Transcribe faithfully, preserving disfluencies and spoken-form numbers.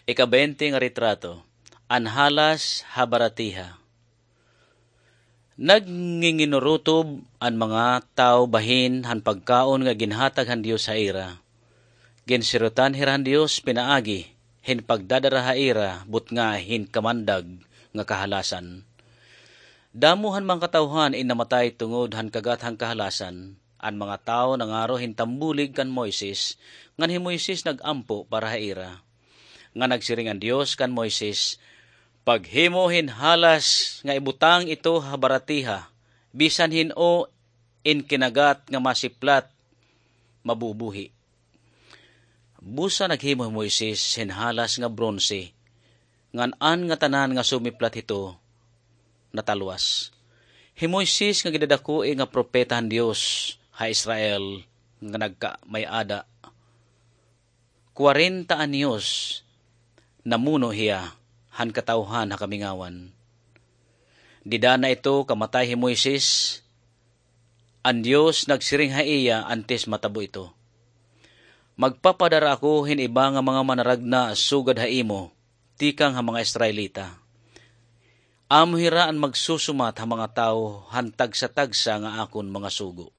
Ika-baynte nga retrato, an halas ha baratiha. Nagnginginurutob an mga tawo bahin han pagkaon nga ginhatag han Dios ha ira. Ginsirutan hira han Dios pinaagi hin pagdadara ha ira butnga hin kamandag nga kahalasan. Damo han mga katawhan in namatay tungod han kagat han kahalasan. An mga tawo nangaro hin tambulig kan Moises, ngan hi Moises nag-ampo para ha ira. Nga nagsiring an Dios kan Moises, "Paghimo hin halas nga ibutang ito ha baratiha, bisan hin-o in kinagat nga masiplat, mabubuhi." Busa naghimo hi Moises hin halas nga bronse, ngan an ngatanan nga sumiplat hito natalwas. Hi Moises nga gidadakoi nga propeta han Dios ha Israel nga nagkamay-ada. Kwarenta anyos namuno hiya han katawhan ha kamingawan. Dida na ito kamatay hi Moises, an Dios nagsiring ha iya antes matabo ito, "Magpapadara ako hin iba nga mga manaragna sugad ha imo, tikang ha mga Israelita. Amo hira an magsusumat ha mga tawo han tagsa-tagsa nga akon mga sugo."